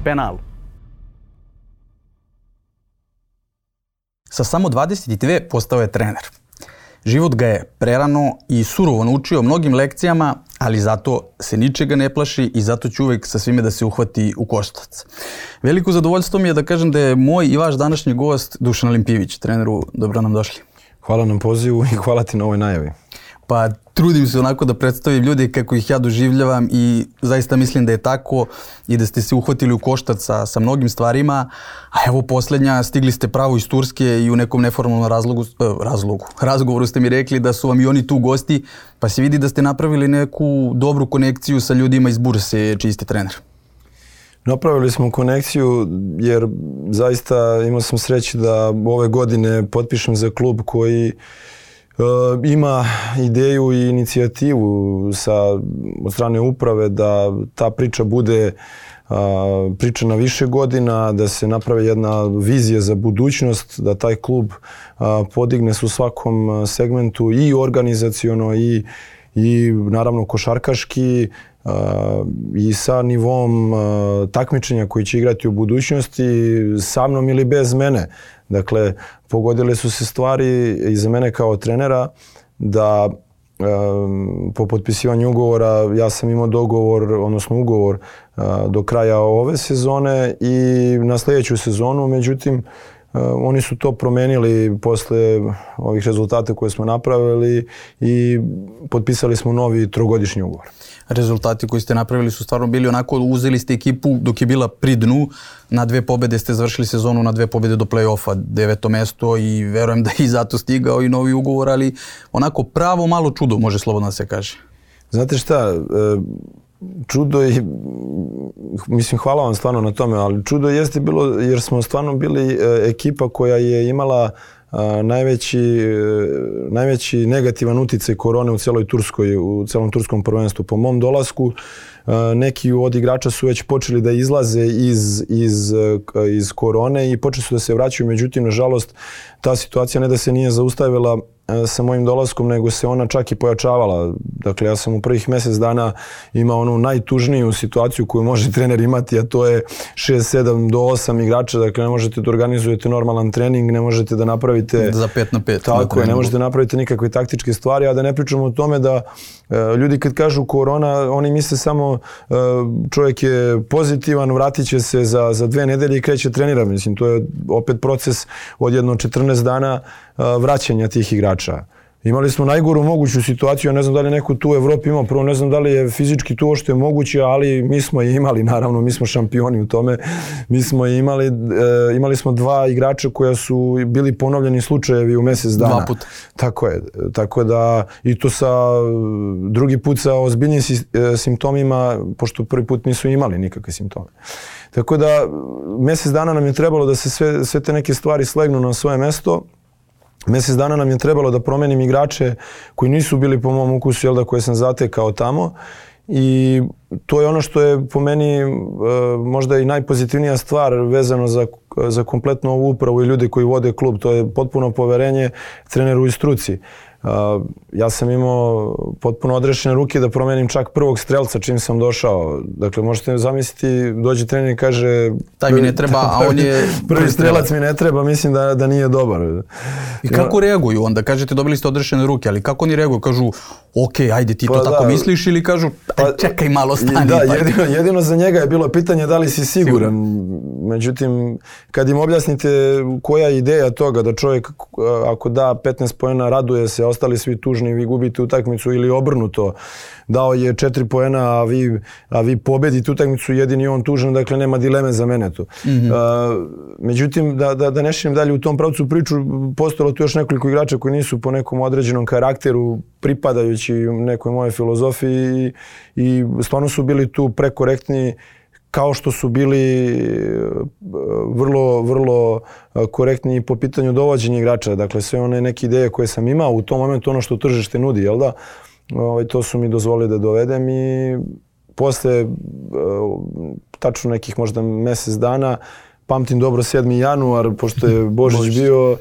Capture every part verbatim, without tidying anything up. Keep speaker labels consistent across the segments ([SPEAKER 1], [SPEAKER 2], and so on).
[SPEAKER 1] penalu. Sa samo dvadeset dve postao je trener. Život ga je prerano i surovo naučio mnogim lekcijama, ali zato se ničega ne plaši i zato će uvek sa svime da se uhvati u koštac. Veliko zadovoljstvo mi je da kažem da je moj i vaš današnji gost Dušan Olimpijević. Treneru, dobro nam došli.
[SPEAKER 2] Hvala nam pozivu i hvala ti na ovoj najavi.
[SPEAKER 1] Pa trudim se onako da predstavim ljudi kako ih ja doživljavam i zaista mislim da je tako i da ste se uhvatili u koštac sa, sa mnogim stvarima. A evo posljednja, stigli ste pravo iz Turske i u nekom neformalnom razlogu, razlogu, razgovoru ste mi rekli da su vam i oni tu gosti, pa se vidi da ste napravili neku dobru konekciju sa ljudima iz Burse, čiji ste trener.
[SPEAKER 2] Napravili smo konekciju jer zaista imao sam sreće da ove godine potpišem za klub koji Uh, ima ideju i inicijativu sa, od strane uprave da ta priča bude uh, priča na više godina, da se napravi jedna vizija za budućnost, da taj klub uh, podigne se u svakom segmentu i organizaciono i, i naravno košarkaški uh, i sa nivom uh, takmičenja koji će igrati u budućnosti sa mnom ili bez mene. Dakle, pogodile su se stvari i za mene kao trenera da um, po potpisivanju ugovora ja sam imao dogovor, odnosno ugovor uh, do kraja ove sezone i na sljedeću sezonu. Međutim, uh, oni su to promenili posle ovih rezultata koje smo napravili i potpisali smo novi trogodišnji ugovor.
[SPEAKER 1] Rezultati koji ste napravili su stvarno bili onako, uzeli ste ekipu dok je bila pri dnu, na dve pobede ste završili sezonu, na dve pobede do play-offa, deveto mesto i verujem da je i zato stigao i novi ugovor, ali onako pravo malo čudo, može slobodno da se kaže.
[SPEAKER 2] Znate šta, čudo je, mislim hvala vam stvarno na tome, ali čudo jeste bilo jer smo stvarno bili ekipa koja je imala najveći, najveći negativan uticaj korone u celoj Turskoj, u celom turskom prvenstvu. Po mom dolasku neki od igrača su već počeli da izlaze iz, iz, iz korone i počeli su da se vraćaju, međutim, nažalost, ta situacija ne da se nije zaustavila sa mojim dolaskom, nego se ona čak i pojačavala. Dakle, ja sam u prvih mjesec dana imao onu najtužniju situaciju koju može trener imati, a to je šest sedam do osam igrača. Dakle, ne možete da organizujete normalan trening, ne možete da napravite...
[SPEAKER 1] Za pet na pet.
[SPEAKER 2] Tako je, ne možete da napravite nikakve taktičke stvari, a da ne pričamo o tome da e, ljudi kad kažu korona, oni misle samo e, čovjek je pozitivan, vratit će se za, za dve nedelje i kreće trenira. Mislim, to je opet proces od jedno četrnaest dana e, vraćanja tih igrača. Imali smo najgoru moguću situaciju, ja ne znam da li neko tu u Evropi imao, prvo ne znam da li je fizički tu što je moguće, ali mi smo je imali, naravno, mi smo šampioni u tome, mi smo je imali, e, imali smo dva igrača koja su bili ponovljeni slučajevi u mjesec dana.
[SPEAKER 1] Dva puta.
[SPEAKER 2] Tako je, tako da i to sa drugi put sa ozbiljnim simptomima, pošto prvi put nisu imali nikakve simptome. Tako da mjesec dana nam je trebalo da se sve, sve te neke stvari slegnu na svoje mesto. Mjesec dana nam je trebalo da promenim igrače koji nisu bili po mom ukusu, jel da, koje sam zatekao tamo. I to je ono što je po meni e, možda i najpozitivnija stvar vezano za, za kompletnu ovu upravu i ljude koji vode klub. To je potpuno poverenje treneru i struci. Uh, ja sam imao potpuno odrešene ruke da promenim čak prvog strelca čim sam došao. Dakle, možete zamisliti, dođe trener i kaže...
[SPEAKER 1] Taj mi ne treba, a on je...
[SPEAKER 2] Prvi strelac mi ne treba, mislim da, da nije dobar.
[SPEAKER 1] I kako reaguju onda? Kažete, dobili ste odrešene ruke, ali kako oni reaguju? Kažu, ok, ajde, ti to
[SPEAKER 2] pa
[SPEAKER 1] tako
[SPEAKER 2] da,
[SPEAKER 1] misliš, ili kažu,
[SPEAKER 2] pa,
[SPEAKER 1] čekaj malo, stani.
[SPEAKER 2] Da,
[SPEAKER 1] pa.
[SPEAKER 2] jedino, jedino za njega je bilo pitanje da li si siguran. Međutim, kad im objasnite koja je ideja toga da čovjek ako da petnaest poena raduje se, ostali svi tužni, vi gubite utakmicu, ili obrnuto, dao je četiri poena, a vi, a vi pobedite utakmicu, jedini on tužan, dakle nema dileme za mene tu. Mm-hmm. Uh, međutim, da, da, da ne širim dalje u tom pravcu priču, postojalo tu još nekoliko igrača koji nisu po nekom određenom karakteru, pripadajući nekoj moje filozofiji i, i stvarno su bili tu prekorektni, kao što su bili vrlo, vrlo korektni po pitanju dovođenja igrača. Dakle, sve one neke ideje koje sam imao u tom momentu, ono što tržište nudi, jel da? Ovaj, to su mi dozvolili da dovedem i posle tačno nekih možda mjesec dana, pamtim dobro sedmi januar, pošto je Božić bio,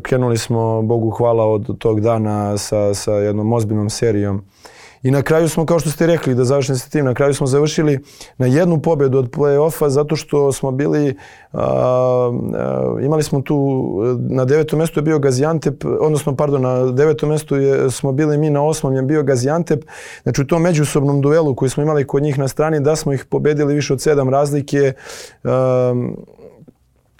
[SPEAKER 2] krenuli smo, Bogu hvala, od tog dana sa, sa jednom ozbiljnom serijom I na kraju smo, kao što ste rekli, da završim sa tim, na kraju smo završili na jednu pobjedu od play-offa zato što smo bili, a, a, imali smo tu, na devetom mjestu je bio Gaziantep, odnosno, pardon, na devetom mjestu je, smo bili mi, na osmom je bio Gaziantep. Znači u tom međusobnom duelu koji smo imali kod njih na strani, da smo ih pobedili više od sedam razlike, a,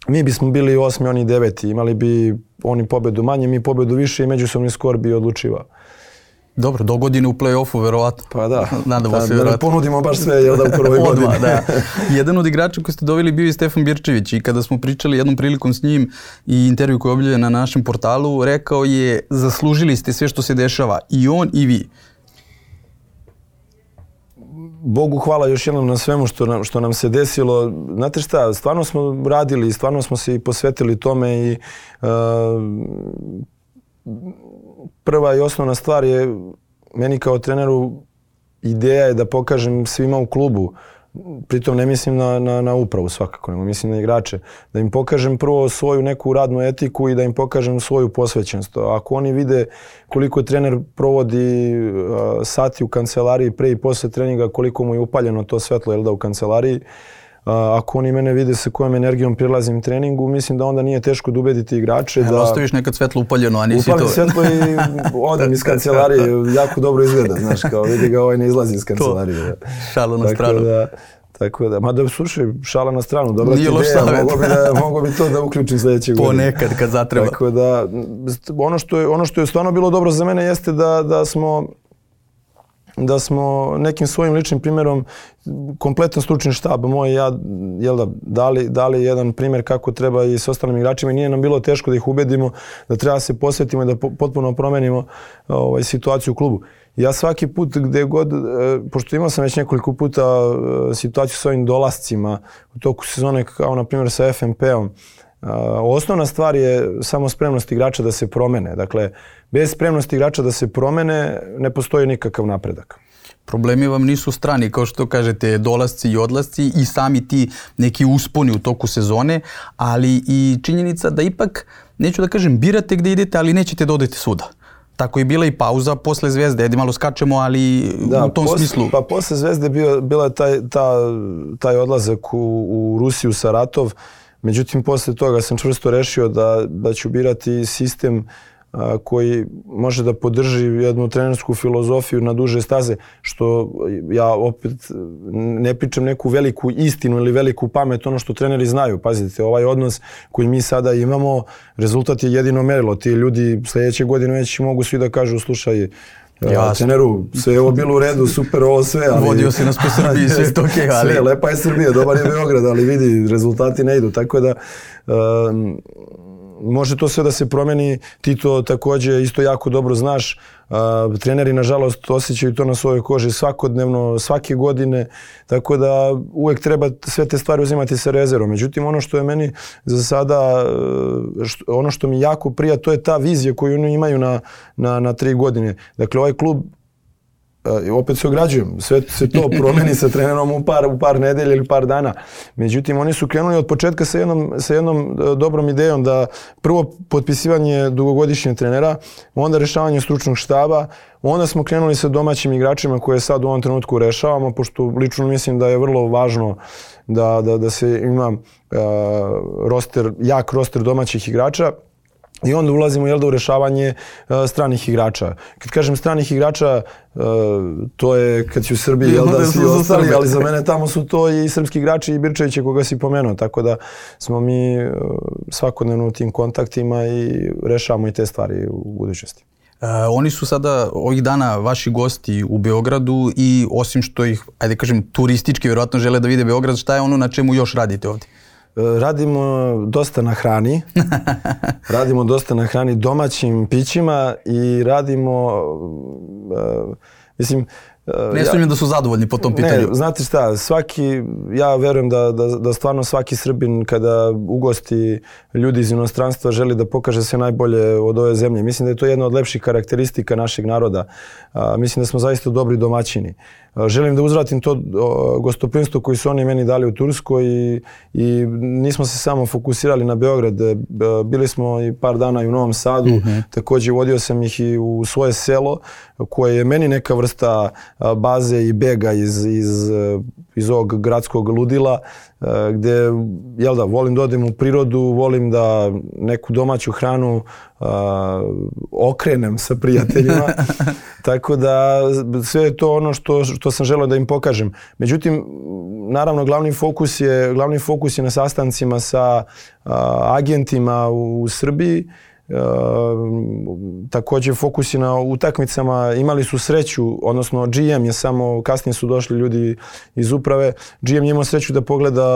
[SPEAKER 2] mi bismo bili osmi, oni deveti, imali bi oni pobedu manje, mi pobedu više i međusobni skor bi odlučivao.
[SPEAKER 1] Dobro, do godine u play-offu, verovatno.
[SPEAKER 2] Pa da,
[SPEAKER 1] Nadamo
[SPEAKER 2] da,
[SPEAKER 1] se,
[SPEAKER 2] da ne ponudimo baš sve, jel da u prvoj godini.
[SPEAKER 1] Da. Jedan od igrača koji ste doveli bio i Stefan Birčević i kada smo pričali jednom prilikom s njim i intervju koji je objavljen na našem portalu, rekao je zaslužili ste sve što se dešava, i on i vi.
[SPEAKER 2] Bogu hvala još jednom na svemu što nam, što nam se desilo. Znate šta, stvarno smo radili, stvarno smo se i posvetili tome i uh, prva i osnovna stvar je meni kao treneru ideja je da pokažem svima u klubu, pritom ne mislim na, na, na upravu svakako, nego mislim na igrače, da im pokažem prvo svoju neku radnu etiku i da im pokažem svoju posvećenost. Ako oni vide koliko trener provodi uh, sati u kancelariji pre i posle treninga, koliko mu je upaljeno to svetlo, jel da, u kancelariji, Uh, ako oni mene vide sa kojom energijom prilazim treningu, mislim da onda nije teško da ubediti igrače.
[SPEAKER 1] Evo,
[SPEAKER 2] da
[SPEAKER 1] ostaviš nekad svetlo upaljeno, a nisi to...
[SPEAKER 2] Upalim svetlo i odem iz kancelarije, jako dobro izgleda, znaš, kao vidi ga, ovaj ne izlazi iz kancelarije.
[SPEAKER 1] To, šalo na
[SPEAKER 2] tako
[SPEAKER 1] stranu.
[SPEAKER 2] Da, tako da, mada slušaj, šala na stranu, dobra ti
[SPEAKER 1] nije
[SPEAKER 2] ideja, mogo bi, da, mogo bi to da uključim sljedeće godine.
[SPEAKER 1] Ponekad kad zatreba.
[SPEAKER 2] Tako da, ono što je, ono što je stvarno bilo dobro za mene jeste da, da smo da smo nekim svojim ličnim primjerom, kompletan stručni štab moj, ja, jel da, dali, dali jedan primjer kako treba i s ostalim igračima i nije nam bilo teško da ih ubedimo, da treba se posvetimo i da po, potpuno promenimo ovaj, situaciju u klubu. Ja svaki put gdje god, pošto imao sam već nekoliko puta situaciju s ovim dolascima u toku sezone, kao na primjer sa F M P-om, osnovna stvar je samo spremnost igrača da se promene. Dakle, bez spremnosti igrača da se promene ne postoji nikakav napredak.
[SPEAKER 1] Problemi vam nisu strani, kao što kažete, dolasci i odlasci i sami ti neki usponi u toku sezone, ali i činjenica da ipak, neću da kažem, birate gdje idete, ali nećete da odete svuda. Tako je bila i pauza posle Zvezde, ajde malo skačemo, ali da, u tom
[SPEAKER 2] posle,
[SPEAKER 1] smislu.
[SPEAKER 2] Pa posle Zvezde bio, bila je taj, ta, taj odlazak u, u Rusiju, Saratov. Međutim, posle toga sam čvrsto rešio da, da ću birati sistem a, koji može da podrži jednu trenersku filozofiju na duže staze, što ja opet ne pričam neku veliku istinu ili veliku pamet, ono što treneri znaju. Pazite, ovaj odnos koji mi sada imamo, rezultat je jedino merilo. Ti ljudi sljedeće godine već mogu svi da kažu, slušaj, ja, treneru, sve je ovo bilo u redu, super ovo sve, ali...
[SPEAKER 1] Vodio si nas po Srbiji, sve to okej, ali...
[SPEAKER 2] Sve, lepa je Srbija, dobar je Beograd, ali vidi, rezultati ne idu, tako da... Um, može to sve da se promeni, ti to također isto jako dobro znaš. Uh, treneri, nažalost, osjećaju to na svojoj koži svakodnevno, svake godine, tako da uvijek treba sve te stvari uzimati sa rezervom. Međutim, ono što je meni za sada, što, ono što mi jako prija, to je ta vizija koju oni imaju na, na, na tri godine. Dakle, ovaj klub, uh, opet se ograđujem, sve se to promeni sa trenerom u par, u par nedelja ili par dana. Međutim, oni su krenuli od početka sa jednom, sa jednom dobrom idejom da prvo potpisivanje dugogodišnjeg trenera, onda rešavanje stručnog štaba, onda smo krenuli sa domaćim igračima koje sad u ovom trenutku rešavamo, pošto lično mislim da je vrlo važno da, da, da se ima uh, roster, jak roster domaćih igrača. I onda ulazimo, jel da, u rešavanje uh, stranih igrača. Kad kažem stranih igrača, uh, to je kad si u Srbiji, jel da, svi ostali, ali za mene tamo su to i srpski igrači i Birčevića koga si pomenuo. Tako da smo mi uh, svakodnevno u tim kontaktima i rešavamo i te stvari u budućnosti.
[SPEAKER 1] Uh, oni su sada ovih dana vaši gosti u Beogradu i osim što ih, ajde kažem, turistički vjerojatno žele da vide Beograd, šta je ono na čemu još radite ovdje?
[SPEAKER 2] Radimo dosta na hrani, radimo dosta na hrani, domaćim pićima i radimo, uh, mislim... Uh,
[SPEAKER 1] ne sumnjam ja, da su zadovoljni po tom pitanju.
[SPEAKER 2] Ne, znate šta, svaki, ja verujem da, da, da stvarno svaki Srbin kada ugosti ljudi iz inostranstva želi da pokaže sve najbolje od ove zemlje. Mislim da je to jedna od lepših karakteristika našeg naroda. Uh, mislim da smo zaista dobri domaćini. želim da uzvratim to gostoprimstvo koji su oni meni dali u Turskoj i, i nismo se samo fokusirali na Beograd. Bili smo i par dana i u Novom Sadu, mm-hmm. također vodio sam ih i u svoje selo koje je meni neka vrsta baze i bega iz, iz, iz ovog gradskog ludila gdje, jel da, volim da odem u prirodu, volim da neku domaću hranu uh, okrenem sa prijateljima. Tako da sve je to ono što, što sam želeo da im pokažem. Međutim, naravno, glavni fokus je, glavni fokus je na sastancima sa uh, agentima u, u Srbiji. Uh, također fokus je na utakmicama, imali su sreću, odnosno G M je samo, kasnije su došli ljudi iz uprave, G M je imao sreću da pogleda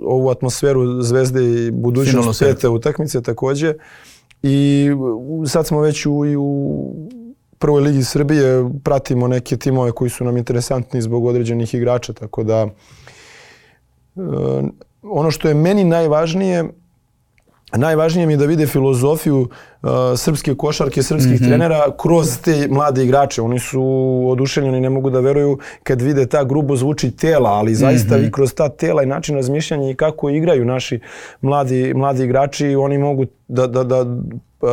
[SPEAKER 2] ovu atmosferu Zvezde i budućnost pete utakmice također i sad smo već u, i u prvoj ligi Srbije, pratimo neke timove koji su nam interesantni zbog određenih igrača, tako da uh, ono što je meni najvažnije, najvažnije mi je da vide filozofiju uh, srpske košarke, srpskih mm-hmm. trenera kroz te mlade igrače. Oni su oduševljeni, ne mogu da veruju kad vide ta grubo zvuči tela, ali zaista mm-hmm. vi kroz ta tela i način razmišljanja i kako igraju naši mladi, mladi igrači, oni mogu da, da, da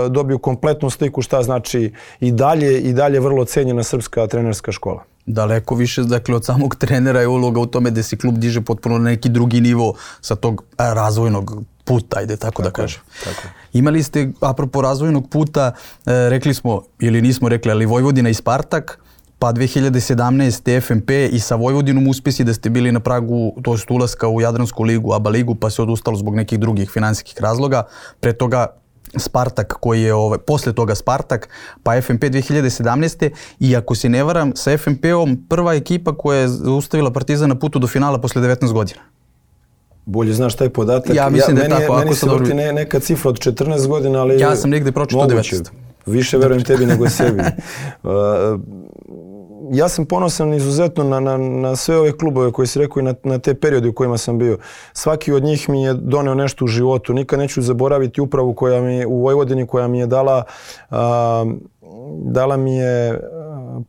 [SPEAKER 2] dobiju kompletnu sliku šta znači i dalje i dalje vrlo cenjena srpska trenerska škola.
[SPEAKER 1] Daleko više, dakle, od samog trenera je uloga u tome da se klub diže potpuno na neki drugi nivo sa tog razvojnog puta, ajde tako, tako da kažem. Tako. Imali ste, apropo razvojnog puta, e, rekli smo, ili nismo rekli, ali Vojvodina i Spartak, pa dve hiljade sedamnaeste. F M P i sa Vojvodinom uspjesi da ste bili na pragu, to jest ulaska u Jadransku ligu, A B A ligu, pa se odustalo zbog nekih drugih finansijskih razloga. Pre toga Spartak koji je, ovaj, posle toga Spartak, pa F M P dve hiljade sedamnaeste. I ako se ne varam, sa F M P-om prva ekipa koja je zaustavila Partizan na putu do finala posle devetnaest godina.
[SPEAKER 2] Bolje znaš taj podatak.
[SPEAKER 1] Ja mislim ja, da je
[SPEAKER 2] meni,
[SPEAKER 1] tako.
[SPEAKER 2] Meni
[SPEAKER 1] ako
[SPEAKER 2] se vrti ne, neka cifra od četrnaest godina, ali
[SPEAKER 1] ja sam negdje pročitao devetnaest.
[SPEAKER 2] Više verujem tebi nego sebi. Uh, ja sam ponosan izuzetno na, na, na sve ove klubove koji si rekao i na, na te periode u kojima sam bio. Svaki od njih mi je doneo nešto u životu. Nikad neću zaboraviti upravu koja mi, u Vojvodini koja mi je dala, uh, dala mi je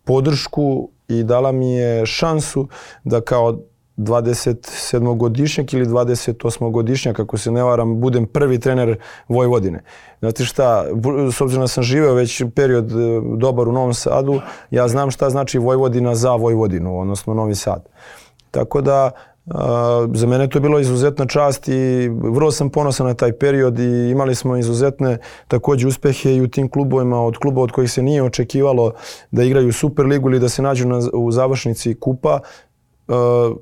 [SPEAKER 2] podršku i dala mi je šansu da kao dvadesetsedmogodišnjak ili dvadesetosmogodišnjak, ako se ne varam, budem prvi trener Vojvodine. Znate šta, s obzirom da sam živeo već period dobar u Novom Sadu, ja znam šta znači Vojvodina za Vojvodinu, odnosno Novi Sad. Tako da, za mene to je bilo izuzetna čast i vrlo sam ponosan na taj period i imali smo izuzetne također uspehe i u tim klubovima, od kluba od kojih se nije očekivalo da igraju Superligu ili da se nađu na, u završnici kupa. Uh,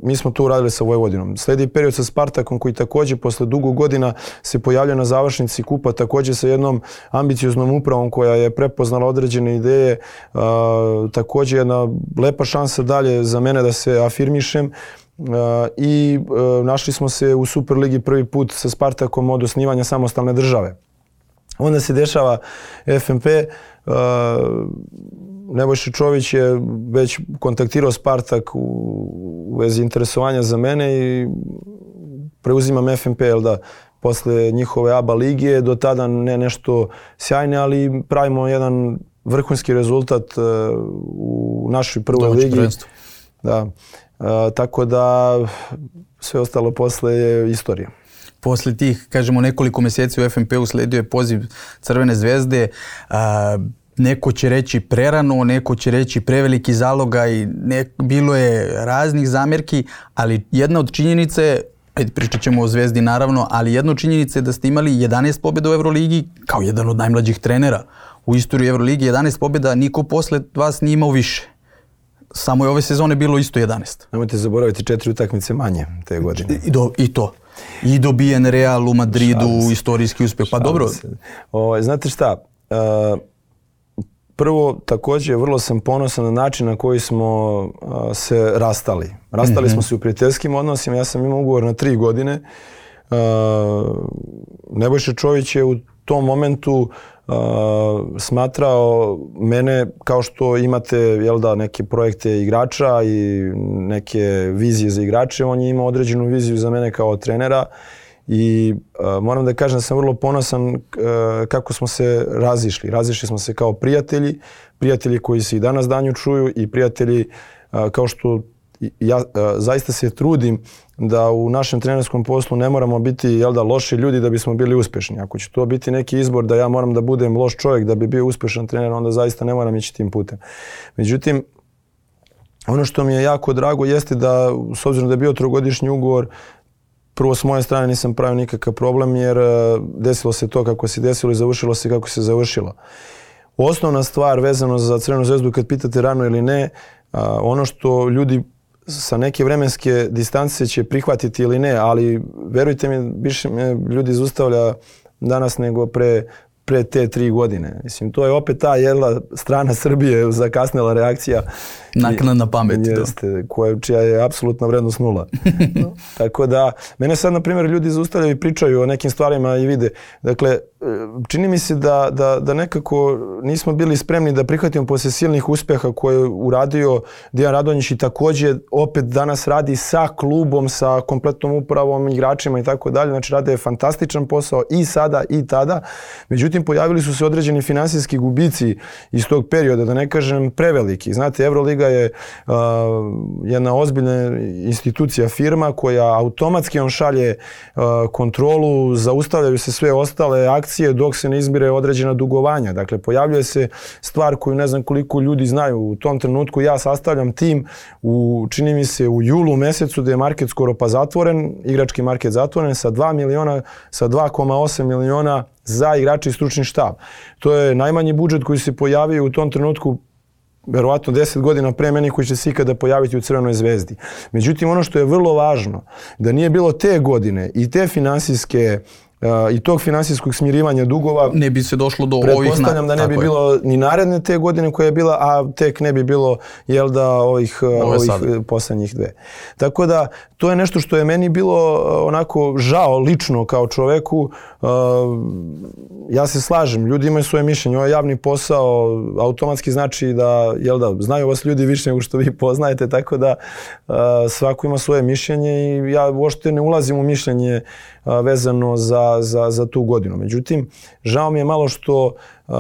[SPEAKER 2] mi smo to uradili sa Vojvodinom. Sledi period sa Spartakom koji također posle dugo godina se pojavlja na završnici kupa, također sa jednom ambicioznom upravom koja je prepoznala određene ideje. Uh, također jedna lepa šansa dalje za mene da se afirmišem. Uh, I uh, našli smo se u Superligi prvi put sa Spartakom od osnivanja samostalne države. Onda se dešava F M P. Uh, Nebojša Čović je već kontaktirao Spartak u, u vezi interesovanja za mene i preuzimam F M P, jel da, posle njihove A B A lige, do tada ne nešto sjajne, ali pravimo jedan vrhunski rezultat uh, u našoj prvoj
[SPEAKER 1] Domaći
[SPEAKER 2] ligi.
[SPEAKER 1] Prvenstvo.
[SPEAKER 2] Da. Uh, tako da sve ostalo posle je istorija.
[SPEAKER 1] Posle tih, kažemo, nekoliko mjeseci u F M P usledio je poziv Crvene zvezde. A, neko će reći prerano, neko će reći preveliki zalogaj, ne, bilo je raznih zamjerki, ali jedna od činjenica je, pričat ćemo o Zvezdi naravno, ali jedna od činjenica je da ste imali jedanaest pobjeda u Euroligi kao jedan od najmlađih trenera u istoriji Euroligi. jedanaest pobjeda, niko posle vas nije imao više. Samo je ove sezone bilo isto jedanaest.
[SPEAKER 2] Nemojte zaboraviti četiri utakmice manje te godine.
[SPEAKER 1] I, do, i to. I dobijen Real u Madridu, istorijski uspjeh. Pa dobro.
[SPEAKER 2] O, znate šta, uh, prvo također vrlo sam ponosan na način na koji smo uh, se rastali. Rastali mm-hmm. smo se u prijateljskim odnosima, ja sam imao ugovor na tri godine. Uh, Nebojša Čović je u tom momentu Uh, smatrao mene, kao što imate, jel da, neke projekte igrača i neke vizije za igrače, on je imao određenu viziju za mene kao trenera i uh, moram da kažem da sam vrlo ponosan uh, kako smo se razišli. Razišli smo se kao prijatelji, prijatelji koji se i danas danju čuju i prijatelji uh, kao što ja zaista se trudim da u našem trenerskom poslu ne moramo biti, jel da, loši ljudi da bismo bili uspješni. Ako će to biti neki izbor da ja moram da budem loš čovjek da bi bio uspješan trener, onda zaista ne moram ići tim putem. Međutim, ono što mi je jako drago jeste da, s obzirom da je bio trogodišnji ugovor, prvo s moje strane nisam pravio nikakav problem jer desilo se to kako se desilo i završilo se kako se završilo. Osnovna stvar vezano za Crvenu zvezdu, kad pitate rano ili ne, ono što ljudi sa neke vremenske distance će prihvatiti ili ne, ali verujte mi, više me ljudi zaustavlja danas nego pre, pre te tri godine. Mislim, to je opet ta jedna strana Srbije, zakasnela reakcija.
[SPEAKER 1] Naknadna pamet.
[SPEAKER 2] Jeste, koja, čija je apsolutna vrednost nula. Tako da, mene sad, na primjer, ljudi zaustavljaju i pričaju o nekim stvarima i vide. Dakle, čini mi se da, da, da nekako nismo bili spremni da prihvatimo poslije silnih uspjeha koje je uradio Dejan Radonjić i također opet danas radi sa klubom, sa kompletnom upravom, igračima i tako dalje. Znači, rade fantastičan posao i sada i tada. Međutim, pojavili su se određeni finansijski gubici iz tog perioda, da ne kažem preveliki. Znate, Euroliga je uh, jedna ozbiljna institucija, firma koja automatski on šalje uh, kontrolu, zaustavljaju se sve ostale akcije dok se ne izmire određena dugovanja. Dakle, pojavljuje se stvar koju ne znam koliko ljudi znaju. U tom trenutku ja sastavljam tim, u, čini mi se u julu mjesecu gdje je market skoro pa zatvoren, igrački market zatvoren sa dva miliona, sa dva zarez osam miliona za igrače i stručni štab. To je najmanji budžet koji se pojavio u tom trenutku, verovatno deset godina pre meni, koji će se ikada pojaviti u Crvenoj zvezdi. Međutim, ono što je vrlo važno, da nije bilo te godine i te finansijske i tog finansijskog smirivanja dugova,
[SPEAKER 1] ne bi se došlo do ovih...
[SPEAKER 2] Pretpostavljam da ne bi bilo ni naredne te godine koja je bila, a tek ne bi bilo, jel da, ovih, ovih posljednjih dve. Tako da, to je nešto što je meni bilo onako žao lično kao čoveku. Ja se slažem, ljudi imaju svoje mišljenje, ovo je javni posao, automatski znači da, jel da, znaju vas ljudi više nego što vi poznajete, tako da svako ima svoje mišljenje i ja uopšte ne ulazim u mišljenje vezano za, za, za tu godinu. Međutim, žao mi je malo što uh,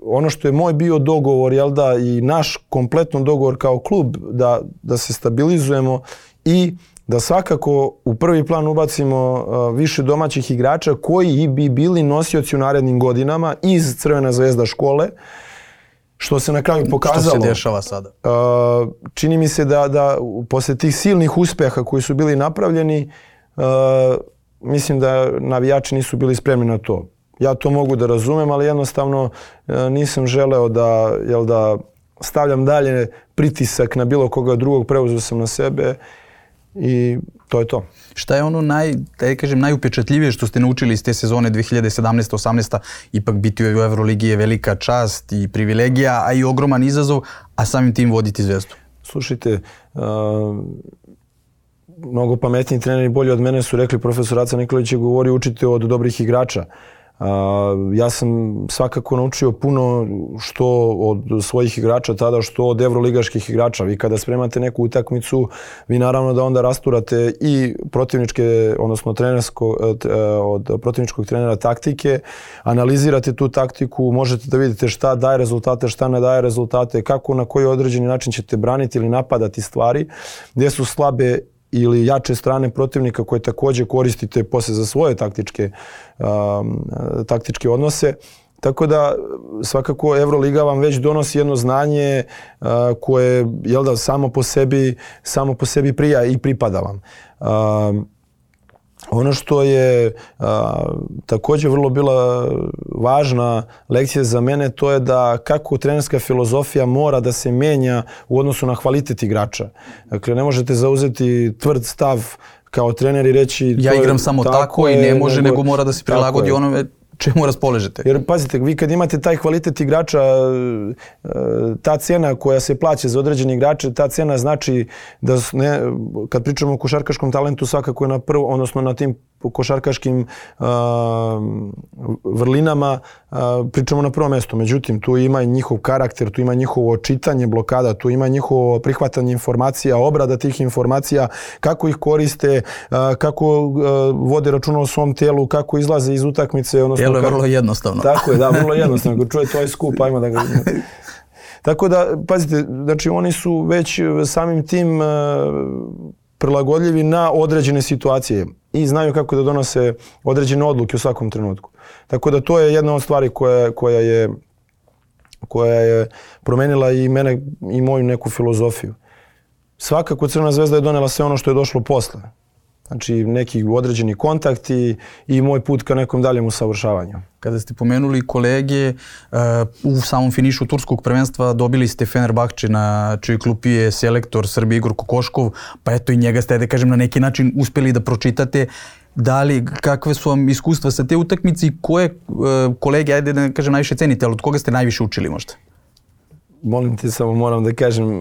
[SPEAKER 2] ono što je moj bio dogovor, jel da, i naš kompletno dogovor kao klub, da, da se stabilizujemo i da svakako u prvi plan ubacimo uh, više domaćih igrača koji bi bili nosioci u narednim godinama iz Crvena zvezda škole, što se na kraju pokazalo.
[SPEAKER 1] Što se dešava sada?
[SPEAKER 2] Uh, čini mi se da, da posle tih silnih uspjeha koji su bili napravljeni, Uh, mislim da navijači nisu bili spremni na to. Ja to mogu da razumem, ali jednostavno uh, nisam želeo da, jel da stavljam dalje pritisak na bilo koga drugog, preuzeo sam na sebe i to je to.
[SPEAKER 1] Šta je ono naj, da kažem, najupečatljivije što ste naučili iz te sezone dve hiljade sedamnaeste osamnaeste Ipak biti u Euroligi je velika čast i privilegija, a i ogroman izazov, a samim tim voditi Zvezdu.
[SPEAKER 2] Slušajte, uh, mnogo pametniji treneri bolji od mene su rekli, profesor Aca Nikolić je govorio, učite od dobrih igrača. Uh, ja sam svakako naučio puno što od svojih igrača tada, što od evroligaških igrača. Vi kada spremate neku utakmicu, vi naravno da onda rasturate i protivničke, odnosno trenersko, od protivničkog trenera taktike, analizirate tu taktiku, možete da vidite šta daje rezultate, šta ne daje rezultate, kako, na koji određeni način ćete braniti ili napadati stvari, gdje su slabe ili jače strane protivnika koje također koristite posle za svoje taktičke, um, taktičke odnose. Tako da svakako Euroliga vam već donosi jedno znanje uh, koje, jel da, samo po sebi, samo po sebi prija i pripada vam. Um, Ono što je a, također vrlo bila važna lekcija za mene, to je da kako trenerska filozofija mora da se menja u odnosu na kvalitet igrača. Dakle, ne možete zauzeti tvrd stav kao trener i reći...
[SPEAKER 1] Ja igram samo tako, tako i ne može, nego, nego mora da se prilagodi onome čemu raspoložete.
[SPEAKER 2] Jer pazite, vi kad imate taj kvalitet igrača, ta cena koja se plaća za određeni igrače, ta cena znači da ne, kad pričamo o košarkaškom talentu, svakako je na prvo, odnosno na tim košarkaškim uh, vrlinama uh, pričamo na prvo mjesto. Međutim, tu ima i njihov karakter, tu ima njihovo čitanje blokada, tu ima njihovo prihvatanje informacija, obrada tih informacija, kako ih koriste, uh, kako uh, vode računa o svom tijelu, kako izlaze iz utakmice.
[SPEAKER 1] Tijelo je vrlo jednostavno.
[SPEAKER 2] Tako je, da, vrlo jednostavno. Ako čuje tvoj skup, ajmo da ga... Tako da, pazite, znači oni su već samim tim uh, prilagodljivi na određene situacije i znaju kako da donose određene odluke u svakom trenutku. Tako da to je jedna od stvari koja, koja je koja je promenila i mene i moju neku filozofiju. Svakako Crvena zvezda je donela sve ono što je došlo posle. Znači neki određeni kontakti i moj put ka nekom daljem usavršavanju.
[SPEAKER 1] Kada ste pomenuli kolege, u samom finišu turskog prvenstva dobili ste Fenerbahče na čiji klupi je selektor Srbije Igor Kokoškov, pa eto i njega ste, da kažem, na neki način uspjeli da pročitate. Da li, kakve su vam iskustva sa te utakmice i koje kolege, ajde da kažem, najviše cenite, ali od koga ste najviše učili možda?
[SPEAKER 2] Molim te, samo moram da kažem,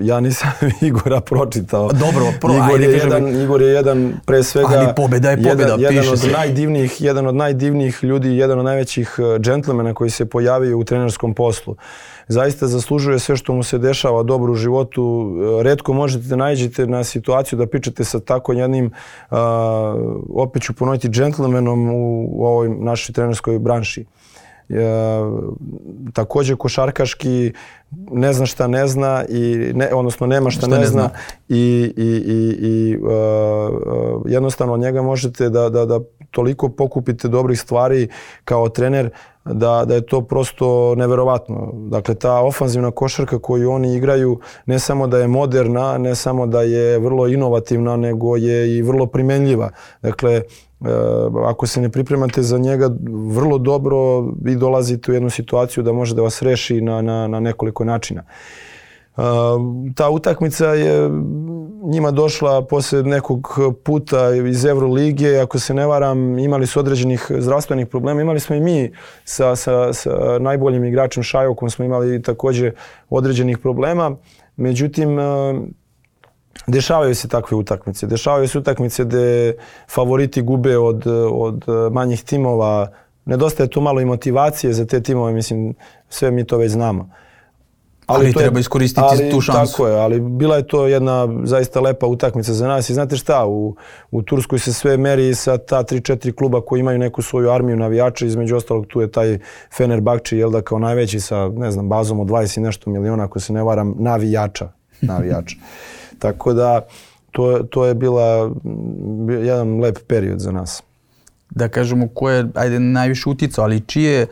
[SPEAKER 2] ja nisam Igora pročitao.
[SPEAKER 1] Dobro, pro,
[SPEAKER 2] Igor,
[SPEAKER 1] ajde,
[SPEAKER 2] je
[SPEAKER 1] kažem,
[SPEAKER 2] jedan, Igor je jedan, pre svega,
[SPEAKER 1] ali pobeda je pobeda,
[SPEAKER 2] jedan, jedan,
[SPEAKER 1] piše
[SPEAKER 2] od
[SPEAKER 1] se.
[SPEAKER 2] najdivnijih, jedan od najdivnijih ljudi, jedan od najvećih džentlmena koji se pojavio u trenerskom poslu. Zaista zaslužuje sve što mu se dešava dobro u životu. Retko možete da naiđete na situaciju da pričate sa tako jednim, uh, opet ću ponoviti, džentlmenom u, u ovoj našoj trenerskoj branši. Uh, također košarkaški ne zna šta ne zna i ne, odnosno nema šta, šta ne, ne zna, zna. i, i, i, i uh, uh, jednostavno od njega možete da, da, da toliko pokupite dobrih stvari kao trener da, da je to prosto neverovatno. Dakle, ta ofanzivna košarka koju oni igraju ne samo da je moderna, ne samo da je vrlo inovativna, nego je i vrlo primenljiva. Dakle, ako se ne pripremate za njega vrlo dobro, vi dolazite u jednu situaciju da može da vas reši na, na, na nekoliko načina. Ta utakmica je njima došla posle nekog puta iz Evrolige, ako se ne varam, imali su određenih zdravstvenih problema. Imali smo i mi sa, sa, sa najboljim igračem Šajokom, smo imali također određenih problema. Međutim, dešavaju se takve utakmice. Dešavaju se utakmice gde favoriti gube od, od manjih timova. Nedostaje tu malo i motivacije za te timove, mislim, sve mi to već znamo.
[SPEAKER 1] Ali, ali treba je, iskoristiti
[SPEAKER 2] ali,
[SPEAKER 1] tu šansu.
[SPEAKER 2] Tako je, ali bila je to jedna zaista lepa utakmica za nas. I znate šta, u, u Turskoj se sve meri sa ta tri četiri kluba koji imaju neku svoju armiju navijača. Između ostalog tu je taj Fenerbahče, jel da, kao najveći sa, ne znam, bazom od dvadeset i nešto miliona, ako se ne varam, navijača. navijača. Tako da to, to je bila jedan lep period za nas.
[SPEAKER 1] Da kažemo ko je, ajde, najviše uticao, ali čije,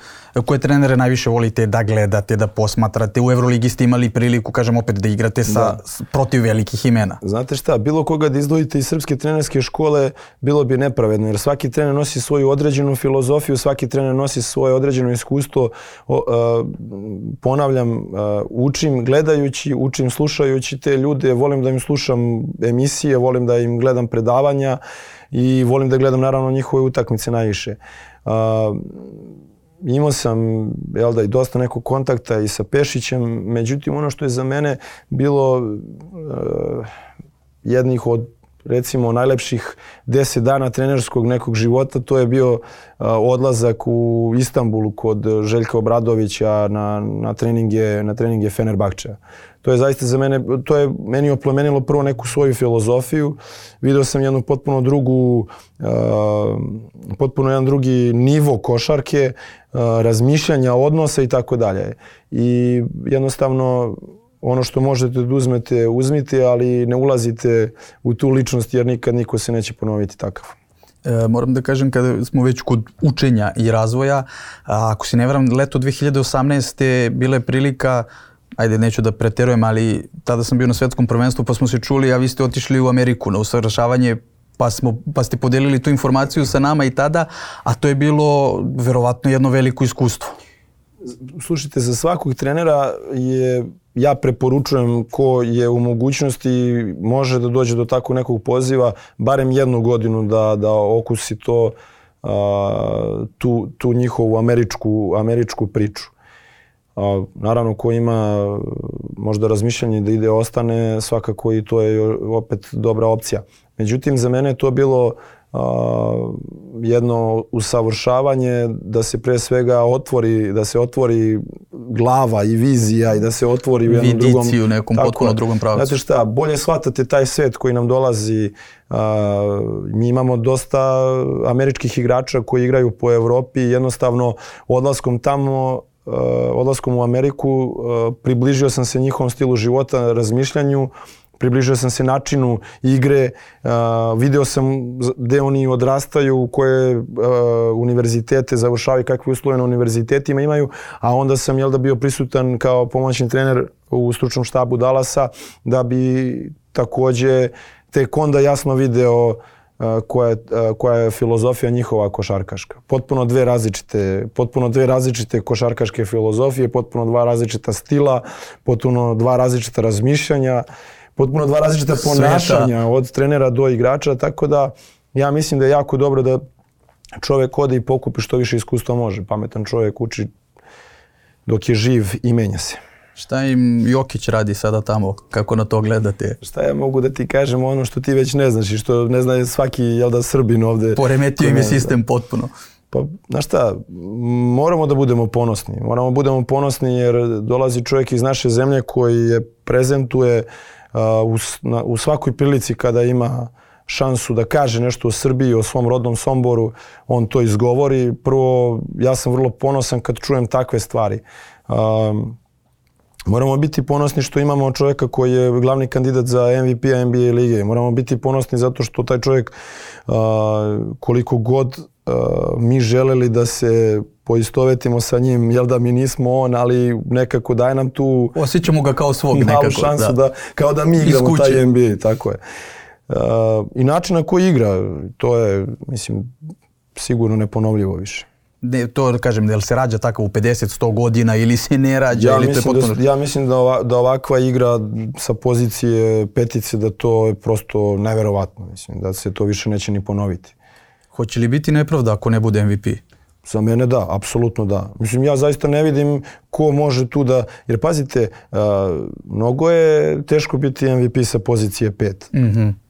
[SPEAKER 1] koje trenere najviše volite da gledate, da posmatrate? U Evroligi ste imali priliku, kažem opet, da igrate sa, da. protiv velikih imena.
[SPEAKER 2] Znate šta, bilo koga da izdvojite iz srpske trenerske škole bilo bi nepravedno, jer svaki trener nosi svoju određenu filozofiju, svaki trener nosi svoje određeno iskustvo. O, a, ponavljam, a, učim gledajući, učim slušajući te ljude, volim da im slušam emisije, volim da im gledam predavanja i volim da gledam naravno njihove utakmice najviše. Uh, imao sam, jel da, i dosta nekog kontakta i sa Pešićem, međutim ono što je za mene bilo uh, jednih od, recimo, najlepših deset dana trenerskog nekog života, to je bio uh, odlazak u Istanbulu kod Željka Obradovića na, na treninge, na treninge Fenerbahčeja. To je zaista za mene, to je meni oplemenilo prvo neku svoju filozofiju. Video sam jednu potpuno drugu, uh, potpuno jedan drugi nivo košarke, uh, razmišljanja, odnosa i tako dalje. I jednostavno ono što možete da uzmete, uzmite, ali ne ulazite u tu ličnost jer nikad niko se neće ponoviti takav.
[SPEAKER 1] E, moram da kažem, kada smo već kod učenja i razvoja, a, ako se ne varam, leto dve hiljade osamnaeste bila je prilika, ajde, neću da preterujem, ali tada sam bio na svetskom prvenstvu pa smo se čuli, a vi ste otišli u Ameriku na usavršavanje, pa, smo, pa ste podelili tu informaciju sa nama i tada, a to je bilo verovatno jedno veliko iskustvo.
[SPEAKER 2] Slušajte, za svakog trenera je, ja preporučujem ko je u mogućnosti može da dođe do takvog nekog poziva, barem jednu godinu da, da okusi to, a, tu, tu njihovu američku, američku priču. A, naravno, ko ima možda razmišljanje da ide ostane, svakako i to je opet dobra opcija. Međutim, za mene je to bilo a, jedno usavršavanje da se pre svega otvori, da se otvori glava i vizija i da se otvori u jednom drugom...
[SPEAKER 1] Vidiciju, nekom tako, potpuno drugom pravcu.
[SPEAKER 2] Znate šta, bolje shvatate taj svet koji nam dolazi. A, mi imamo dosta američkih igrača koji igraju po Evropi i jednostavno odlaskom tamo odlaskom u Ameriku približio sam se njihovom stilu života, razmišljanju, približio sam se načinu igre, uh, video sam gde oni odrastaju, koje uh, univerzitete završavaju, kakve uslove na univerzitetima imaju, a onda sam jel da bio prisutan kao pomoćni trener u stručnom štabu Dallasa da bi takođe tek onda jasno video uh, koja, je, uh, koja je filozofija njihova košarkaška. Potpuno dve različite, potpuno dve različite košarkaške filozofije, potpuno dva različita stila, potpuno dva različita razmišljanja, potpuno dva različita ponašanja od trenera do igrača, tako da ja mislim da je jako dobro da čovjek ode i pokupi što više iskustva može. Pametan čovjek uči dok je živ i menja se.
[SPEAKER 1] Šta im Jokić radi sada tamo? Kako na to gledate?
[SPEAKER 2] Šta ja mogu da ti kažem ono što ti već ne znaš i što ne zna svaki jel da Srbin ovde.
[SPEAKER 1] Poremetio im je sistem potpuno.
[SPEAKER 2] Pa, znaš šta, moramo da budemo ponosni. Moramo da budemo ponosni jer dolazi čovjek iz naše zemlje koji je prezentuje Uh, u, na, u svakoj prilici kada ima šansu da kaže nešto o Srbiji, o svom rodnom Somboru, on to izgovori. Prvo, ja sam vrlo ponosan kad čujem takve stvari. Um, moramo biti ponosni što imamo čovjeka koji je glavni kandidat za M V P-a N B A lige. Moramo biti ponosni zato što taj čovjek uh, koliko god uh, mi želeli da se poistovetimo sa njim, jel da mi nismo on, ali nekako daje nam tu
[SPEAKER 1] osjećamo ga kao svog nekako,
[SPEAKER 2] šansu da. da kao da mi igramo taj N B A, tako je. Uh, I način na koji igra, to je, mislim, sigurno neponovljivo više.
[SPEAKER 1] Ne, to kažem, da li se rađa tako u pedeset sto godina ili se ne rađa?
[SPEAKER 2] Ja,
[SPEAKER 1] ili
[SPEAKER 2] mislim,
[SPEAKER 1] to potpuno...
[SPEAKER 2] da, ja mislim da, ova, da ovakva igra sa pozicije petice, da to je prosto neverovatno. Mislim, da se to više neće ni ponoviti.
[SPEAKER 1] Hoće li biti nepravda ako ne bude M V P?
[SPEAKER 2] Za mene da, apsolutno da. Mislim, ja zaista ne vidim ko može tu da... Jer pazite, uh, mnogo je teško biti M V P sa pozicije pet.
[SPEAKER 1] Mm-hmm.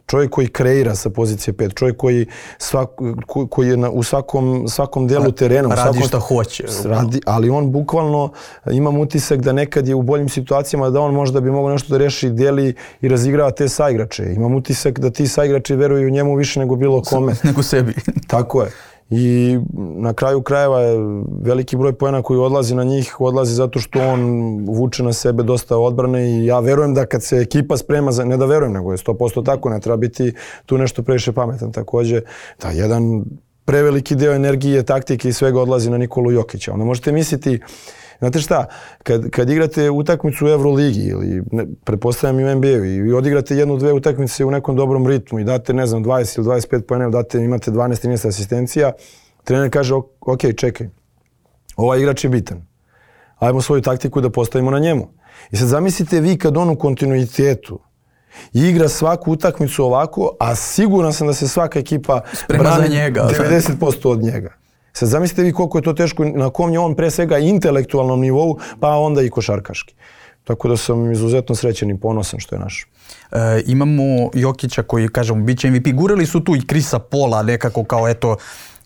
[SPEAKER 2] Čovjek koji kreira sa pozicije pet, čovjek koji, svak, ko, koji je na, u svakom, svakom delu terena.
[SPEAKER 1] Radi
[SPEAKER 2] svakom,
[SPEAKER 1] šta hoće.
[SPEAKER 2] Radi, ali on bukvalno, imam utisak da nekad je u boljim situacijama da on možda bi mogao nešto da reši, deli i razigrava te saigrače. Imam utisak da ti saigrači veruju njemu više nego bilo kome.
[SPEAKER 1] Nego sebi.
[SPEAKER 2] Tako je. I na kraju krajeva je veliki broj poena koji odlazi na njih, odlazi zato što on vuče na sebe dosta odbrane i ja verujem da kad se ekipa sprema, za, ne da verujem, nego je sto posto tako, ne treba biti tu nešto previše pametan. Također, da jedan preveliki deo energije, taktike i svega odlazi na Nikolu Jokića. Onda možete misliti, znate šta, kad, kad igrate utakmicu u Euroligi ili ne, pretpostavljam i u N B A-u i vi odigrate jednu, dve utakmice u nekom dobrom ritmu i date, ne znam, dvadeset ili dvadeset pet poena, date, imate dvanaest trinaest asistencija, trener kaže, ok, čekaj, ovaj igrač je bitan. Ajmo svoju taktiku da postavimo na njemu. I sad zamislite vi kad on u kontinuitetu igra svaku utakmicu ovako, a siguran sam da se svaka ekipa brani devedeset posto od njega. Sad zamislite vi koliko je to teško, na kom je on pre svega intelektualnom nivou, pa onda i košarkaški. Tako da sam izuzetno srećan i ponosan što je naš.
[SPEAKER 1] E, imamo Jokića koji, kažemo, bit će M V P. Gurali su tu i Chrisa Paula nekako kao, eto,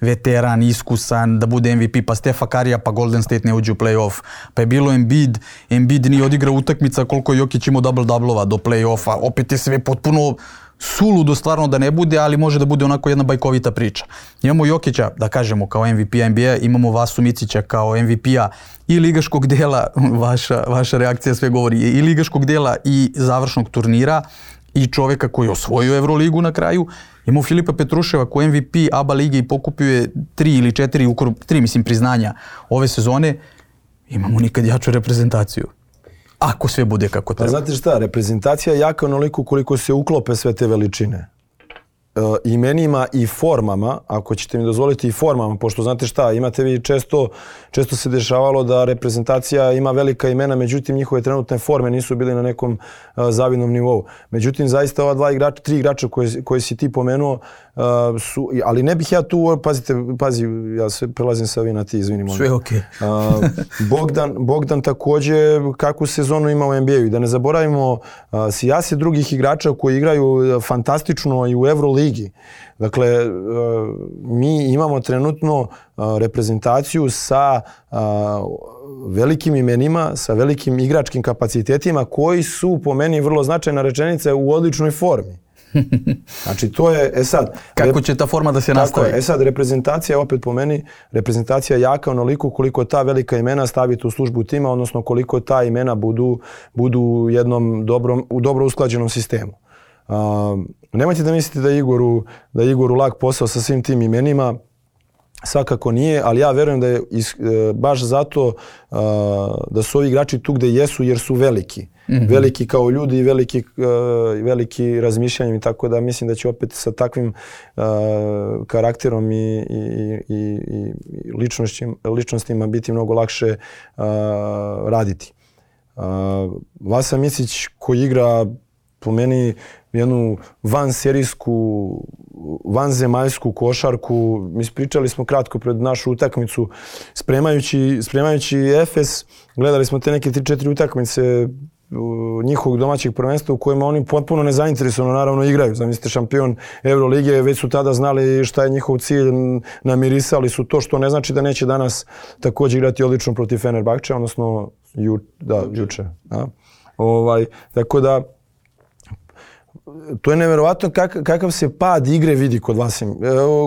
[SPEAKER 1] veteran, iskusan, da bude M V P, pa Stefa Karija, pa Golden State ne uđe u play-off. Pa je bilo Embiid, Embiid nije odigrao utakmica koliko je Jokić imao double-doublova do play-offa. Opet je sve potpuno suludo stvarno da ne bude, ali može da bude onako jedna bajkovita priča. Imamo Jokića, da kažemo, kao M V P-a N B A, imamo Vasu Micića kao M V P-a i ligaškog dela, vaša, vaša reakcija sve govori, i ligaškog dela i završnog turnira i čovjeka koji je osvojio Euroligu na kraju. Imamo Filipa Petruševa koji je M V P A B A lige i pokupio je tri ili četiri, tri mislim priznanja ove sezone. Imamo nikad jaču reprezentaciju. Ako sve bude kako treba.
[SPEAKER 2] Pa znate šta, reprezentacija je jaka onoliko koliko se uklope sve te veličine. E, imenima i formama, ako ćete mi dozvoliti i formama, pošto znate šta, imate vi često, često se dešavalo da reprezentacija ima velika imena, međutim njihove trenutne forme nisu bile na nekom uh, zavidnom nivou. Međutim, zaista ova dva igrača, tri igrača koje, koje si ti pomenuo, uh, su, ali ne bih ja tu, pazite, pazi, ja sve prelazim sa vi na ti, izvinim.
[SPEAKER 1] Sve okej.
[SPEAKER 2] Okay. uh, Bogdan, Bogdan također kakvu sezonu ima u N B A-u i da ne zaboravimo uh, sijase drugih igrača koji igraju fantastično i u Euroligi. Dakle, mi imamo trenutno reprezentaciju sa velikim imenima, sa velikim igračkim kapacitetima koji su po meni vrlo značajna rečenica u odličnoj formi. Znači to je, e sad...
[SPEAKER 1] Kako će ta forma da se nastavi?
[SPEAKER 2] Tako je, e sad reprezentacija, opet po meni, reprezentacija jaka onoliko koliko ta velika imena stavite u službu tima, odnosno koliko ta imena budu, budu u jednom dobrom, u dobro usklađenom sistemu. Uh, nemojte da mislite da je Igoru, da je Igoru lak posao sa svim tim imenima, svakako nije, ali ja verujem da je is, e, baš zato uh, da su ovi igrači tu gde jesu jer su veliki. Mm-hmm. Veliki kao ljudi i veliki, uh, veliki razmišljanjem i tako da mislim da će opet sa takvim uh, karakterom i, i, i, i ličnostima, ličnostima biti mnogo lakše uh, raditi. Uh, Vasa Micić koji igra po meni jednu vanserijsku, vanzemaljsku košarku. Mi pričali smo kratko pred našu utakmicu spremajući, spremajući Efes. Gledali smo te neke tri četiri utakmice njihovog domaćeg prvenstva u kojima oni potpuno nezainteresovano naravno igraju. Zamislite, šampion Eurolige, već su tada znali šta je njihov cilj, namirisali su to, što ne znači da neće danas također igrati odlično protiv Fenerbahča, odnosno ju, da, juče. Da. Ovaj, tako da to je nevjerovatno kak, kakav se pad igre vidi kod Vasim,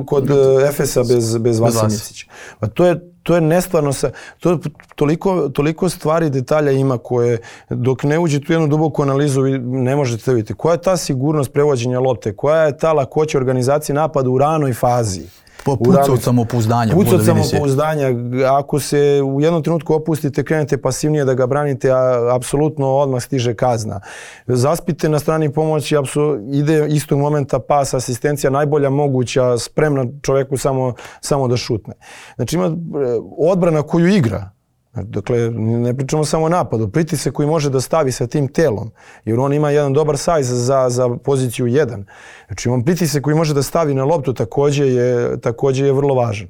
[SPEAKER 2] kod Efesa bez, bez Vase Micića. Pa to je To je nestvarno sa, to toliko, toliko stvari, detalja ima koje dok ne uđete u jednu duboku analizu vi ne možete vidjeti. Koja je ta sigurnost prevođenja lopte, koja je ta lakoća organizacije napada u ranoj fazi.
[SPEAKER 1] Puca od samopouzdanja.
[SPEAKER 2] Puca od samopouzdanja. Ako se u jednom trenutku opustite, krenete pasivnije da ga branite, a apsolutno odmah stiže kazna. Zaspite na strani pomoći, ide istog momenta pas, asistencija, najbolja moguća, spremna čovjeku samo, samo da šutne. Znači ima odbrana koju igra. Dakle, ne pričamo samo o napadu, pritisak koji može da stavi sa tim telom, jer on ima jedan dobar sajz za, za poziciju jedan. Znači, on pritisak koji može da stavi na loptu također je, također je vrlo važan.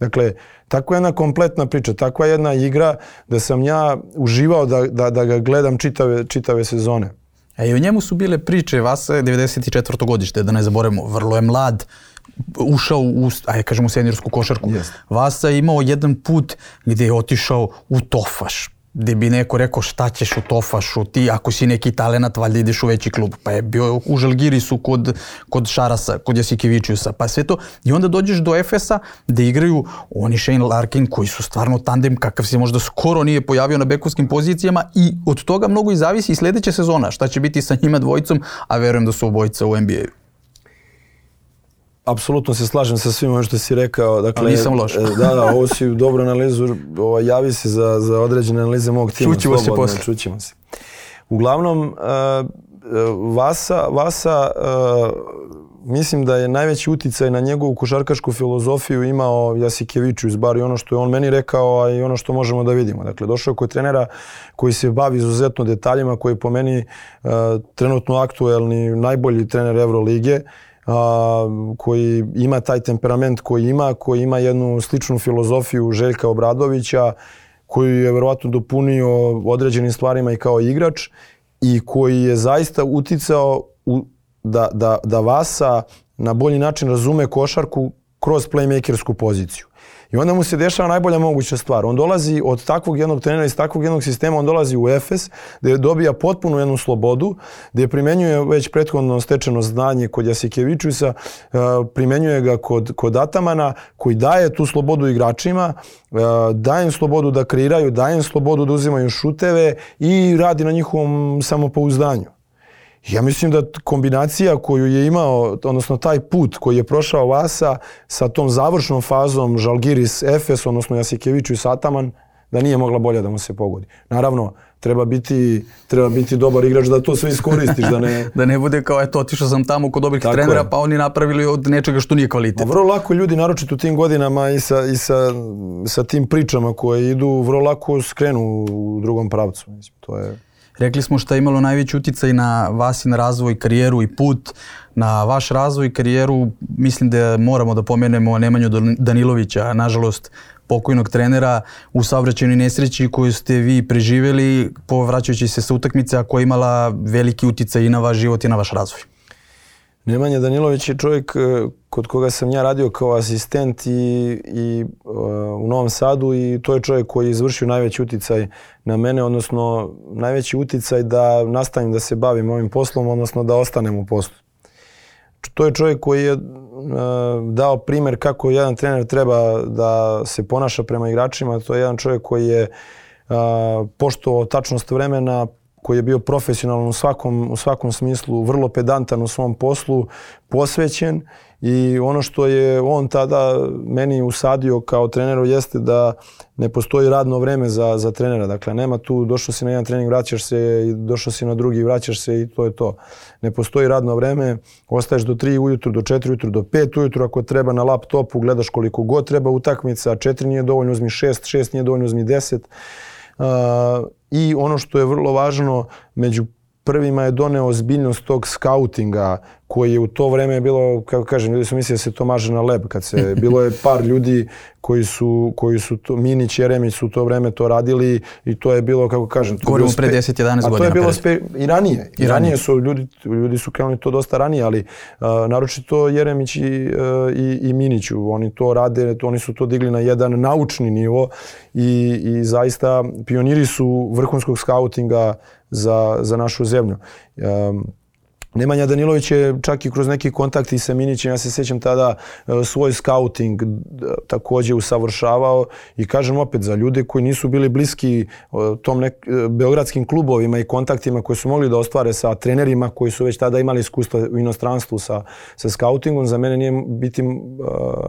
[SPEAKER 2] Dakle, takva jedna kompletna priča, takva jedna igra da sam ja uživao da, da, da ga gledam čitave, čitave sezone.
[SPEAKER 1] E, i o njemu su bile priče, Vasa je devedeset četvrto godište, da ne zaboravimo, vrlo je mlad, ušao u, ajde kažemo, seniorsku košarku. Yes. Vasa je imao jedan put gdje je otišao u Tofaš, gdje bi neko rekao šta ćeš u Tofašu, ti ako si neki talenat valjda ideš u veći klub, pa je bio u Žalgirisu kod, kod Šarasa, kod Jasikevičiusa, pa sve to. I onda dođeš do Efesa gdje igraju oni Shane Larkin koji su stvarno tandem kakav se možda skoro nije pojavio na bekovskim pozicijama i od toga mnogo i zavisi i sljedeća sezona, šta će biti sa njima dvojicom, a verujem da su obojica u N B A-u.
[SPEAKER 2] Apsolutno se slažem sa svim ovim što si rekao. Dakle,
[SPEAKER 1] ali nisam loš.
[SPEAKER 2] Da, da, ovo si dobro analizu, ovo, javi se za, za određene analize mog tima.
[SPEAKER 1] Čućemo se posle.
[SPEAKER 2] Čućemo se. Uglavnom, uh, Vasa, Vasa uh, mislim da je najveći uticaj na njegovu košarkašku filozofiju imao Jasikevičius, bar i ono što je on meni rekao, a i ono što možemo da vidimo. Dakle, došao je kod trenera koji se bavi izuzetno detaljima, koji je po meni uh, trenutno aktuelni, najbolji trener Evrolige, Uh, koji ima taj temperament koji ima, koji ima jednu sličnu filozofiju Željka Obradovića, koji je verovatno dopunio određenim stvarima i kao igrač i koji je zaista uticao u, da, da, da Vasa na bolji način razume košarku kroz playmakersku poziciju. I onda mu se dešava najbolja moguća stvar. On dolazi od takvog jednog trenera, iz takvog jednog sistema, on dolazi u Efes, gdje dobija potpunu jednu slobodu, gdje primenjuje već prethodno stečeno znanje kod Jasikevičiusa, primenjuje ga kod, kod Atamana, koji daje tu slobodu igračima, daje im slobodu da kreiraju, daje im slobodu da uzimaju šuteve i radi na njihovom samopouzdanju. Ja mislim da kombinacija koju je imao, odnosno taj put koji je prošao Vasa sa tom završnom fazom Žalgiris Efes, odnosno Jasikevičius Ataman, da nije mogla bolje da mu se pogodi. Naravno, treba biti, treba biti dobar igrač da to sve iskoristiš. Da ne,
[SPEAKER 1] da ne bude kao, eto, otišao sam tamo kod dobrih tako trenera, je. Pa oni napravili od nečega što nije kvalitet.
[SPEAKER 2] Vrlo lako ljudi, naročito u tim godinama i sa, i sa, sa tim pričama koje idu, vrlo lako skrenu u drugom pravcu. Mislim, to je...
[SPEAKER 1] Rekli smo šta je imalo najveći uticaj na Vasin razvoj, karijeru i put. Na vaš razvoj i karijeru mislim da moramo da pomenemo Nemanju Danilovića, nažalost pokojnog trenera u saobraćajnoj nesreći koju ste vi preživjeli povraćajući se sa utakmice, a koja je imala veliki uticaj i na vaš život i na vaš razvoj.
[SPEAKER 2] Nemanja Danilović je čovjek kod koga sam ja radio kao asistent i, i uh, u Novom Sadu i to je čovjek koji je izvršio najveći uticaj na mene, odnosno najveći uticaj da nastavim da se bavim ovim poslom, odnosno da ostanem u poslu. to je čovjek koji je uh, dao primjer kako jedan trener treba da se ponaša prema igračima. To je jedan čovjek koji je uh, poštovao tačnost vremena, koji je bio profesionalan u svakom, u svakom smislu, vrlo pedantan u svom poslu, posvećen. I ono što je on tada meni usadio kao treneru jeste da ne postoji radno vreme za, za trenera. Dakle, nema tu došao si na jedan trening, vraćaš se, i došao si na drugi, vraćaš se i to je to. Ne postoji radno vreme, ostaješ do tri ujutru, do četiri ujutru, do pet ujutru, ako treba na laptopu, gledaš koliko god treba utakmica, četiri nije dovoljno, uzmi šest, šest nije dovoljno, uzmi deset. Uh, I ono što je vrlo važno, među prvima je doneo ozbiljnost tog skautinga koji je u to vreme bilo, kako kažem, ljudi su mislili da se to maže na leb. Kad se, bilo je par ljudi koji su, koji su to, Minić, Jeremić su u to vreme to radili i to je bilo, kako kažem...
[SPEAKER 1] Govorimo pre deset jedanaest godina.
[SPEAKER 2] A to je bilo spe, i ranije. I, I ranije su ljudi, ljudi su krenuli to dosta ranije, ali uh, naročito Jeremić i, uh, i, i Miniću. Oni to rade, to, oni su to digli na jedan naučni nivo i, i zaista pioniri su vrhunskog skautinga za, za našu zemlju. Um, Nemanja Danilović je čak i kroz neki kontakti sa Minićem, ja se sjećam tada, svoj skauting također usavršavao i kažem opet za ljude koji nisu bili bliski tom nek, beogradskim klubovima i kontaktima koji su mogli da ostvare sa trenerima koji su već tada imali iskustva u inostranstvu sa, sa skautingom. Za mene nije, biti,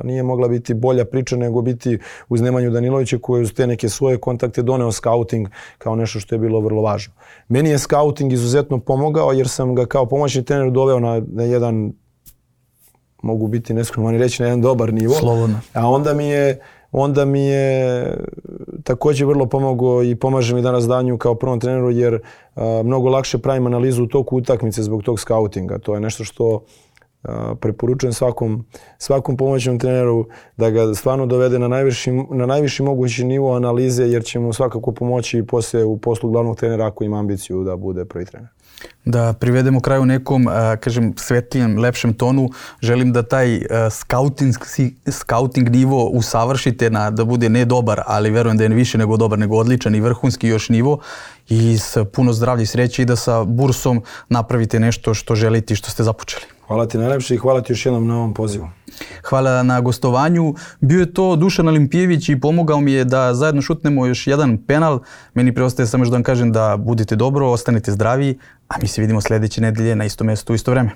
[SPEAKER 2] nije mogla biti bolja priča nego biti uz Nemanju Danilovića koji uz te neke svoje kontakte doneo skauting kao nešto što je bilo vrlo važno. Meni je skauting izuzetno pomogao jer sam ga kao pomoćni trener doveo na, na jedan, mogu biti neskromani reći, na jedan dobar nivo.
[SPEAKER 1] Slobodno.
[SPEAKER 2] A onda mi je, onda mi je također vrlo pomogao i pomaže mi danas danju kao prvom treneru jer a, mnogo lakše pravim analizu u toku utakmice zbog tog skautinga. To je nešto što a, preporučujem svakom, svakom pomoćnom treneru da ga stvarno dovede na najviši, na najviši mogući nivo analize jer će mu svakako pomoći i poslije u poslu glavnog trenera ako ima ambiciju da bude prvi trener.
[SPEAKER 1] Da privedemo kraju nekom, kažem, svetlijem, lepšem tonu. Želim da taj scouting, scouting nivo usavršite na, da bude ne dobar, ali verujem da je više nego dobar, nego odličan i vrhunski još nivo. I s puno zdravlja i sreće i da sa Bursom napravite nešto što želite i što ste započeli.
[SPEAKER 2] Hvala ti najlepše i hvala ti još jednom na ovom pozivu.
[SPEAKER 1] Hvala na gostovanju. Bio je to Dušan Olimpijević i pomogao mi je da zajedno šutnemo još jedan penal. Meni preostaje samo još da vam kažem da budete dobro, ostanete zdravi, a mi se vidimo sljedeće nedelje na isto mjestu u isto vreme.